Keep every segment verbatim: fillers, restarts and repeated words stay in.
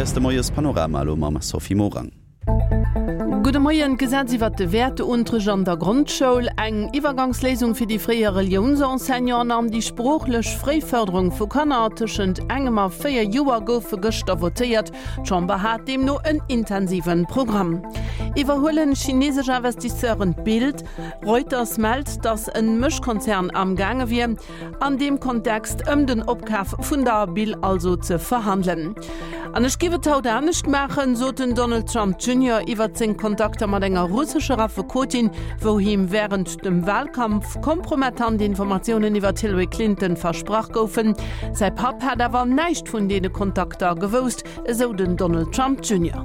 Hei ass de Moiespanorama elo mam Sophie Morang. Gudde Moien, D'Gesetz iwwert de Wäerteunterrecht an der Grondschoul, eng Iwwergangsléisung fir déi fréier Reliounsenseignanten an déi sproochlech Fréifërderung vu Kanner tëschent engem a véier Joer goufe gëschter votéiert. D'Chamber hat deemno en intensive Programm. Iwwerhuelen chinesesch Investisseuren d'Bild? Reuters mellt, datt en Mëschkonzern am gaange wier, an deem Kontext ëm den Opkaf vun der Bill also ze verhandelen. An ech giff et haut anescht maachen, sot den Donald Trump Junior iwwert seng Kontakter mat enger russescher Affekotin, wou him wärend dem Walkampf kompromettant Informatiounen iwwert d'Hillary Clinton versprach goufen. Säi Papp hätt awer näischt vun deene Kontakter gewousst, esou den Donald Trump Junior.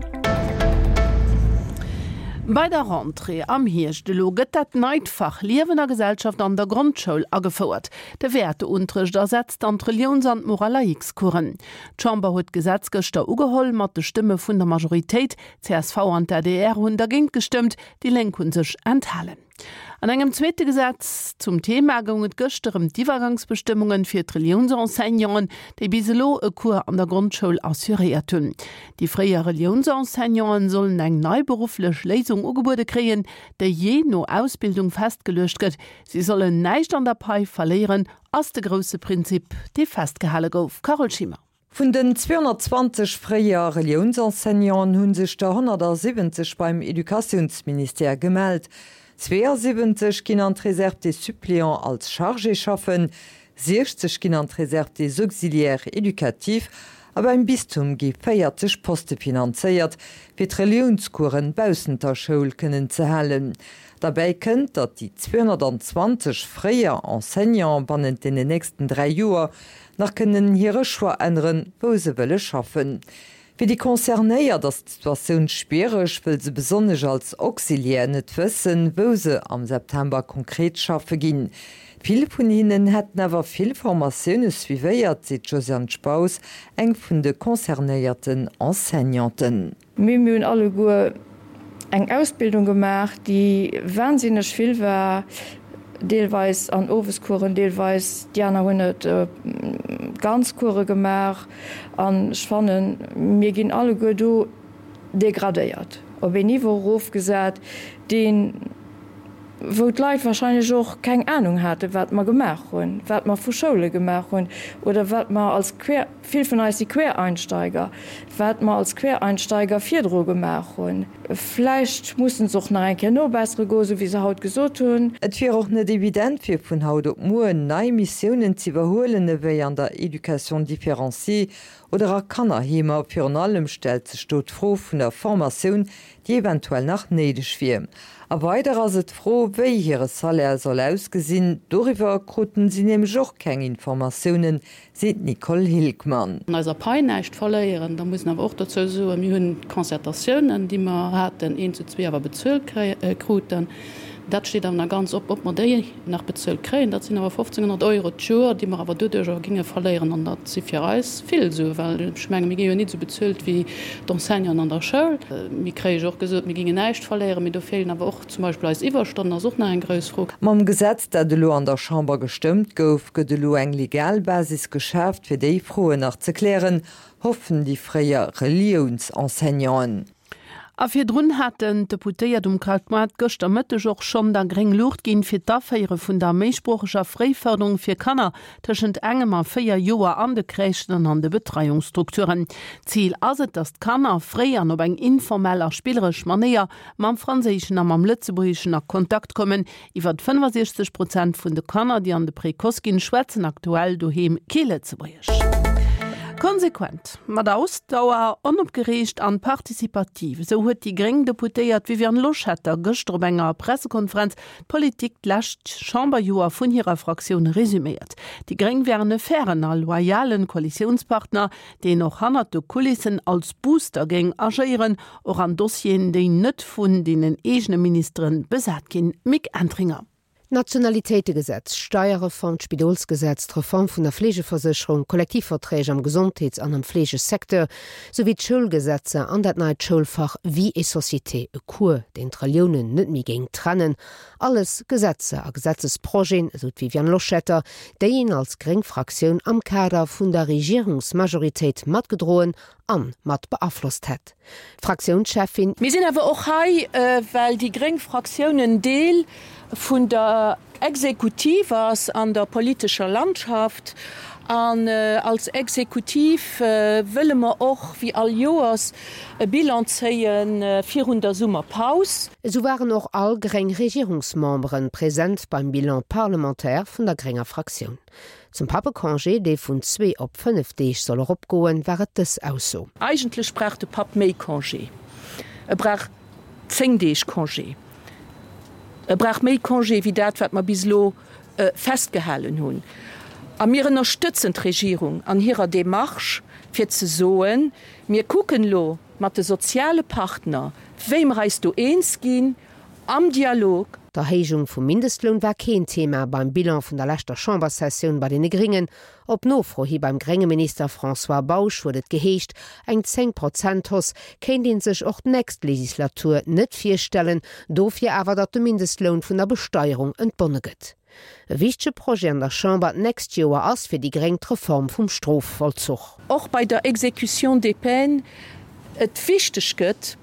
Bei der Rentrée am Hierscht elo gëtt dat neit Fach Liewen a Gesellschaft an der Grondschoul agefouert. De Wäerteunterrecht ersetzt dann d'Reliouns an d'Moral-laïcs-Coursen. D'Chamber huet d'Gesetz gëschter ugeholl, mat de Stëmme vun der Majoritéit. Csv an d'ADR hunn dergéint gestëmmt, déi Lénk hu sech enthalen. An engem zweete Gesetz zum Thema goung et gëschter ëm d'Iwwergangsbestëmmunge fir d'Reliounsenseignanten, déi bis elo e Cours an der Grondschoul assuréiert hunn. Déi fréier Reliounsenseignanten sollen eng nei berufflech Léisung ugebuede kréien, déi jee no Ausbildung festgeluecht gëtt. Si sollen näischt an der Pai verléieren, ass de grousse Prinzip, dee festgehale gouf. Carole Schimmer. Vun den zweehonnertzwanzeg fréier Reliounsenseignanten hu sech der honnertsiwwenzeg beim Educatiounsministère gemellt. Zweeësiwwenzeg ginn an d'Réserve des suppléants als Chargé schaffen, siechzeg ginn an d'Réserve des auxiliaires éducatifs a beim Bistum gi véierzeg Poste finanzéiert, fir d'Reliounscoursen baussent der Schoul kënnen ze halen. Derbäi kënnt, datt déi zweehonnertanzwanzeg fréier Enseignante bannent deenen nächsten dräi Joer nach kënnen hire Choix änneren, wou se wëlle schaffen. Fir déi Concernéiert ass d'Situatioun schwiereg, wëll se besonnesch als Auxiliaire net wëssen, wou se am September konkret schaffe ginn. Vill vun hinnen hätten awer vill Formatioune suivéiert, seet d'Josiane Spaus, eng vun de concernéierten Enseignanten. Mee mir hunn alleguer eng Ausbildung gemaach, déi wahnsinneg vill war, deelweis an Owescoursen, deelweis déi aner hunn et ganz Course gemaach. An ech fannen, mir ginn alleguer do degradéiert, op een Niveau erofgesat, deen, wou d'Leit wahrscheinlech och keng Anung haten, wat mer gemaach hunn, wat mer vu Schoule gemaach hunn oder wat mer als Quer, vill vun eis si Quereinsteiger, wat mer als Quereinsteiger virdru gemaach hunn. Vläicht mussen se och nach eng Kéier nobessere goen, esou wéi se haut gesot hunn. Et wier och net evident, fir vun haut op muer nei Missiounen z'iwwerhuelen, ewéi an der Éducation différenciée oder a Kannerheemer. Virun allem stellt sech do d'Fro vun der Formatioun, déi eventuell nach néideg wier. A weider ass et d'Fro, wéi hire Salaire soll ausgesinn. Doriwwer kruten si nämlech och keng Informatiounen, seet d'Nicole Hilgmann. An eiser Pai näischt verléieren. Da muss een awer och dozou soen, mir hunn d'Concertatiounen, déi mer haten, eent zu zwee awer bezuelt kruten. Dat steet awer nach ganz op, ob mer déi nach bezuelt kréien. Dat sinn awer fofzénghonnert Euro d'Joer, déi mer awer doduerch awer géinge verléieren. An dat si fir eis vill Suen, well ech menge mir gi jo nit esou bezuelt wéi d'Enseignanten an der Schoul. Mir kréie jo och gesot, mir géingen näischt verléieren, mee do feelen awer och zum Beispill eis Iwwerstonnen, ass och nach eng grouss Fro. Mam Gesetz, dat elo an der Chamber gestëmmt gouf, gëtt elo eng legal Basis geschaaft, fir déi Froen nach ze klären, hoffen déi fréier Reliounsenseignanten. A virdrun haten d'Deputéiert um Krautmaart gëschter Mëtteg och schonn da gréng Luucht ginn, fir d'Aféiere vun der méisproocheger Fréifërderung fir Kanner tëschent engem a véier Joer an de Crèchen an an de Betreiungsstrukturen. Zil ass et, datt d'Kanner fréi an op eng informell a spilleresch Manéier mam Franséischen a mam Lëtzebuergeschen a Kontakt kommen. Iwwer fënnefasiechzeg Prozent vun de Kanner, déi an de Précoce ginn, schwätzen aktuell doheem kee Lëtzebuergesch. Konsequent, mat Ausdauer, onopgereegt an participativ, esou huet déi gréng Deputéiert Viviane Loschetter gëschter op enger Pressekonferenz d'Politik d'lescht Chamberjoer vun hirer Fraktioun resüméiert. Déi gréng wären e fairen a loyalen Koalitiounspartner, deen och hannert de Kulissen als Booster géing agéieren, och an Dossieren, déi net vun deenen eegene Ministere besat ginn. Mick Entringer. D'Nationalitéitegesetz, d'Steierreform, d'Spidolsgesetz, d'Reform vun der Fleegeversécherung, d'Kollektivverträg am Gesondheets an am Fleegesecteur, souwéi d'Schoulgesetzer an dat neit Schoulfach Vie et société, e Cours, deen d'Reliounen net méi géing trennen, alles Gesetzer a Gesetzesprojeten, esou d'Viviane Loschetter, déi een als gréng Fraktioun am Kader vun der Regierungsmajoritéit matgedroen an mat beaflosst hätt. D'Fraktiounscheffin. Mir sinn awer och hei, well déi gréng Fraktioun en Deel vun der Exekutiv ass an der politescher Landschaft. An als Exekutiv wëlle mer och, wéi all Joers, e Bilan zéie virun der Summerpaus. Esou waren och all gréng Regierungsmemberen present beim Bilan parlementaire vun der grénger Fraktioun. Zum Pappecongé, dee vun zwee op fënnef Deeg soll eropgoen, war et dës Ausso. Eigentlech brauch de Papp méi Congé. E brauch zéng Deeg Congé. E brauch méi Congé wéi dat, wat mer bis elo festgehalen hunn. A mir ënnerstëtzen d'Regierung an hirer Démarche, fir ze soen, Mir kucken elo mat de soziale Partner, wéi mer eis do eens ginn am Dialog. D'Erhéijung vum Mindestloun war keen Thema beim Bilan vun der leschter Chamberssessioun bei deene Gréngen. Op Nofro hi beim grénge Minister François Bausch huet et geheescht, eng Zéng-Prozent-Hausse kéint ee sech och d'nächst Legislatur net virstellen, dofir awer, datt de Mindestloun vun der Besteierung entbonne gëtt. E wichtege Projet an der Chamber d'nächst Joer ass fir déi Gréng d'Reform vum Strofvollzuch. Och bei der Exécution des peines et wichteg gëtt,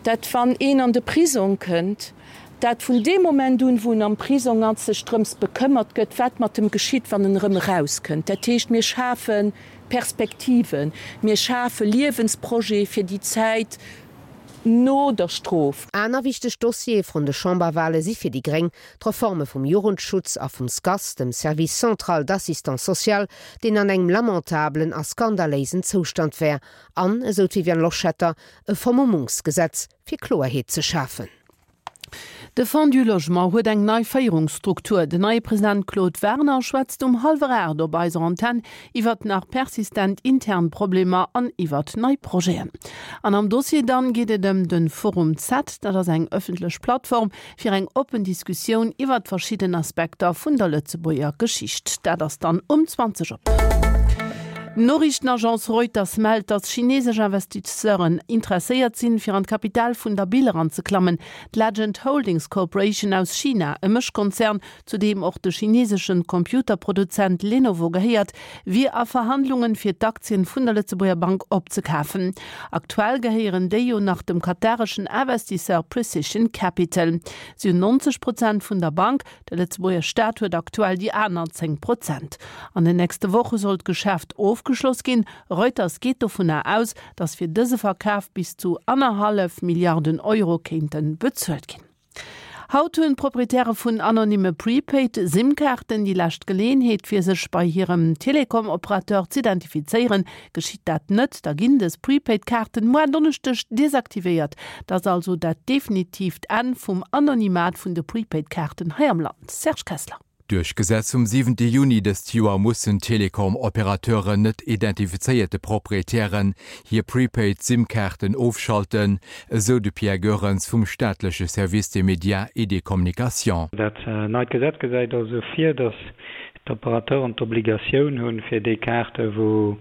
dat wann een an de Prisong kënnt, dat vun deem Moment un, wou en am Prisong ass, sech drëms bekëmmert gëtt, wat mat em geschitt, wann en erëm erauskënnt. Dat heescht, mir schafe Perspektiven, mir schafe Liewensprojete fir déi Zäit no der Strof. Aner wichteg Dossiere vrun de Chamberwale si fir déi gréng d'Reforme vum Jugendschutz a vum SCAS, dem Service central d'assistance sociale, deen an engem lamentabelen a skandaléisen Zoustand wär, an, esou d'Viviane Loschetter, e Vermummungsgesetz, fir Kloerheet ze schafen. De Fonds du Logement huet eng nei Féierungsstruktur. Den neie President Claude Werner schwätzt um hallwer aacht op eiser Antenn iwwert nach persistent intern Problemer an iwwert nei Projeten. An am Dossier dann geet et ëm de Forum Z, dat ass eng ëffentlech Plattform fir eng oppen Diskussioun iwwert verschidden Aspekter vun der Lëtzebuerger Geschicht. Dat ass dann um zwanzeg op. D'Noriichtenagence Reuters mellt, datt chineesesch Investisseuren interesséiert sinn, fir an d'Kapital vun der Bill eranzeklammen. D'Legend Holdings Corporation aus China, e Mëschkonzern, zu deem och de chineesesche Computerproduzent Lenovo gehéiert, wier a Verhandlungen, fir d'Aktien vun der Lëtzebuerger Bank opzekafen. Aktuell gehéieren déi jo nach dem katareschen Investisseur Precision Capital. Si hunn neunzeg Prozent vun der Bank, de Lëtzebuerger Staat huet aktuell déi aner zéng Prozent. An den nächste Woche soll d'Geschäft ofgeschloss ginn. Reuters geet dovunner aus, datt fir dëse Verkaf bis zu annerhallef Milliarden Euro kéinte bezuelt ginn. Haut hunn d'Proprietäre vun anonyme Prepaid SIM-Kaarten déi lescht Geleeënheet, fir sech bei hirem Telekom-Operateur z'identifizéieren. Geschitt dat net, da ginn dës Prepaid-Kaarten muer Donneschdeg desaktivéiert. Dat ass also dat definitiivt Enn vum Anonymat vun de Prepaid-Kaarten hei am Land. Serge Kessler. Duerch Gesetz vum siwente Juni dëst Joer mussen Telekom-Operateuren net identifizéierte Proprietären hir Prepaid SIM-Kaarten ofschalten, esou de Pierre Goerens vum staatleche Service des médias et des communications. Dat neit Gesetz gesäit also vir, datt d'Operateuren d'Obligatioun hunn, fir déi Kaarte wou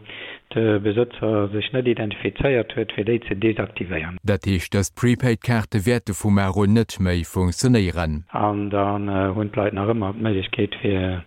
de Besëtzer sech net identifizéiert huet, fir déi ze desaktivéieren. Dat heescht, dës Prepaid-Kaarte wäerte vu mar un net méi funktionéieren. An dann hunn d'Leit nach ëmmer d'Méiglechkeet, fir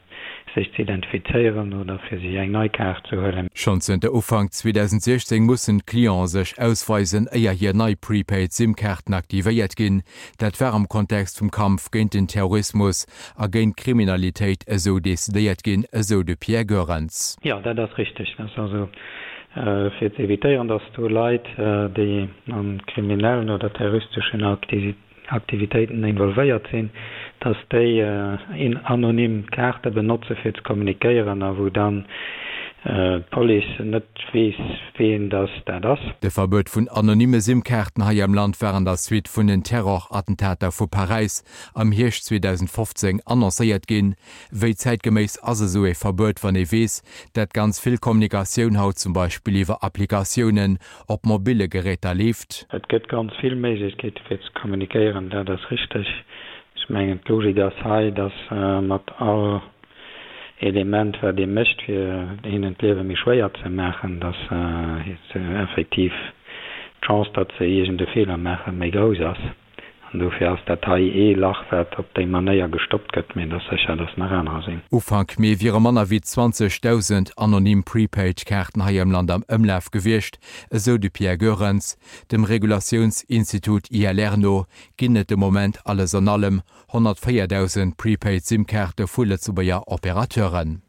sech ze identifizéieren oder fir sech eng nei Kaart ze huelen. Schonn zënter Ufank zweedausendsiechzéng mussen d'Clienten sech ausweisen, éier hir nei Prepaid SIM-Kaarten aktivéiert ginn. Dat war am Kontext vum Kampf géint den Terrorismus a géint d'Kriminalitéit esou decidéiert ginn, esou de Pierre Goerens. Jo, dat ass richteg. Dat ass also fir ze evitéieren, datt do Leit, déi a kriminellen oder terroristeschen Aktivitéiten involvéiert sinn, datt déi anonym Kaarte benotze fir ze kommunikéieren a wou dann d'Police net weess, ween datt dat ass. De Verbuet vun anonyme SIM-Kaarten hei am Land war an der Suite vun den Terrorattentater vu Paräis am Hierscht zweedausendfofzéng annoncéiert ginn. Wéi zäitgeméiss ass esou ee Verbuet, wann ee weess, dat ganz vill Kommunikatioun haut zum Beispill iwwer Applikatiounen op mobille Geräter leeft? Et gëtt ganz vill Méiglechkeete fir ze kommunikéieren, dat ass richteg. Ech mengen, d'Logik ass hei, datt mat all Element, wat ee mécht, fir hinnen d'Liewe méi schwéier ze maachen, datt effektiv d'Chance, datt se iergend e Feeler maachen, méi grouss ass. An dofir ass dat hei ee Lach, wat op déi Manéier gestoppt gëtt, mee et ass sécher, dass nach anerer sinn. Ufank Mee wiere manner wéi zwanzegdausend anonym Prepaid-Kaarten hei am Land am Ëmlaf gewiescht, esou de Pierre Goerens. Dem Regulatiounsinstitut I L R no ginn et de Moment alles an allem honnertvéierdausend Prepaid-SIM-Kaarte vu Lëtzebuerger Operateuren.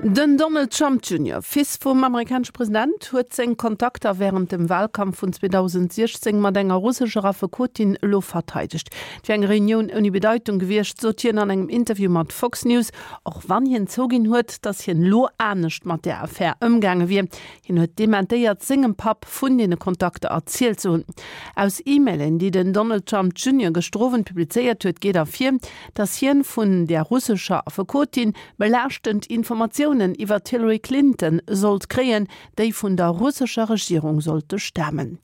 Den Donald Trump Junior, Fils vum amerikanesche President, huet seng Kontakter wärend dem Walkampf vun zweedausendsiechzéng mat enger russescher Affekotin elo verteidegt. Et wier eng Reunioun ouni Bedeitung gewiescht, sot hien an engem Interview mat Fox News, och wann hien zouginn huet, datt hien elo anescht mat där Affär ëmgaange wier. Hien huet dementéiert, sengem Papp vun deene Kontakter erzielt ze hunn. Aus E-Mailen, déi den Donald Trump Junior gëschter Owend publizéiert huet, geet ervir, datt hien vun där russescher Affekotin belaaschtend Informatiounen iwwer d'Hillary Clinton sollt kréien, déi vun der russescher Regierung sollte stamen.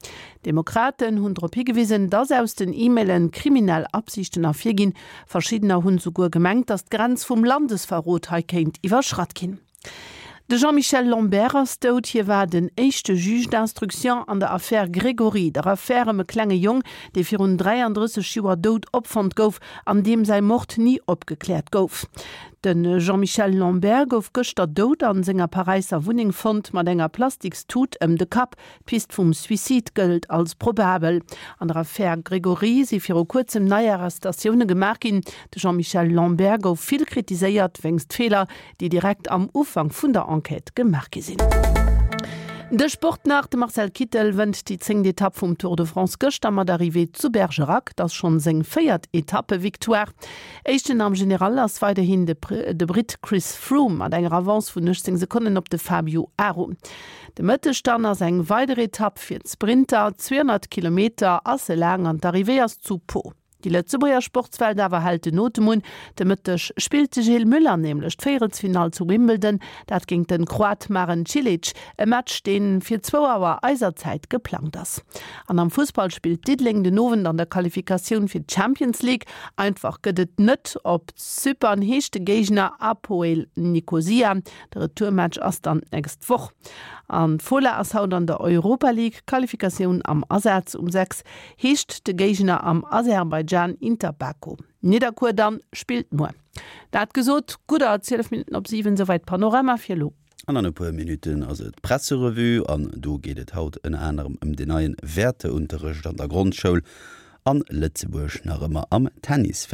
D'Demokraten hunn drop higewisen, datt aus den E-Maile kriminell Absichten ervirginn. Verschiddener hunn souguer gemengt, datt d'Grenz vum Landesverrot hei kéint iwwerschratt ginn. De Jean-Michel Lambert ass dout. Hie war den éischte Juge d'instruction an der Affär Grégory, der Affär ëm e klenge Jong, dee virun dräiandrësseg Joer dout opfonnt gouf an deem säi Mord ni opgekläert gouf. De Jean-Michel Lambert gouf gëschter dout an senger Paräisser Wunneng fonnt, mat enger Plastikstut ëm de Kapp. D'Pist vum Suicide gëllt als probabel. An der Affär Grégory si viru kuerzem nei Arrestatioune gemaach ginn. De Jean-Michel Lambert gouf vill kritiséiert wéinst Feeler, déi direkt am Ufank vun der Enquête gemaach gi sinn. De Sport nach, De Marcel Kittel wënnt déi zéngt Etapp vum Tour de France gëschter mat Arrivée zu Bergerac. Dat ass schonn seng véiert Etappevictoire. Éischten am General ass weiderhin de de Britt Chris Froome mat enger Avance vun uechtzéng Sekonnen op de Fabio Aru. De Mëtteg dann ass eng weider Etapp fir d'Sprinter, zweehonnert Kilometer ass se laang an d'Arrivée ass zu Pau. Déi Lëtzebuerger Sportswelt awer hält den Otem un. De Mëtteg spillt de Gilles Müller nämlech d'Véierelsfinall zu Wimbledon, dat géint den Kroat Marin Cilic, e Match dee fir zwou Auer eiser Zäit geplangt ass. An am Fussball spillt Diddeleng den Owend an der Qualifikatioun fir d'Champions League. Einfach gëtt et net op Zypern, heescht de Géigner Apoel Nikosia. De Retourmatch ass dann d'nächst Woch. An d'Fola ass haut an der Europa League Qualifikatioun am Asaz. Um sechs heescht de Géigner am Aserbaidschan Inter Baku. Nidderkuer dann spillt muer. Dat gesot, gudder zwielef Minutten op siwen, souwäit Panorama fir elo. An an e puer Minutten ass et d'Presserevue an do geet et haut ënner anerem ëm den neien Wäerteunterrecht an der Grondschoul an Lëtzebuerg nach ëmmer am Tennis.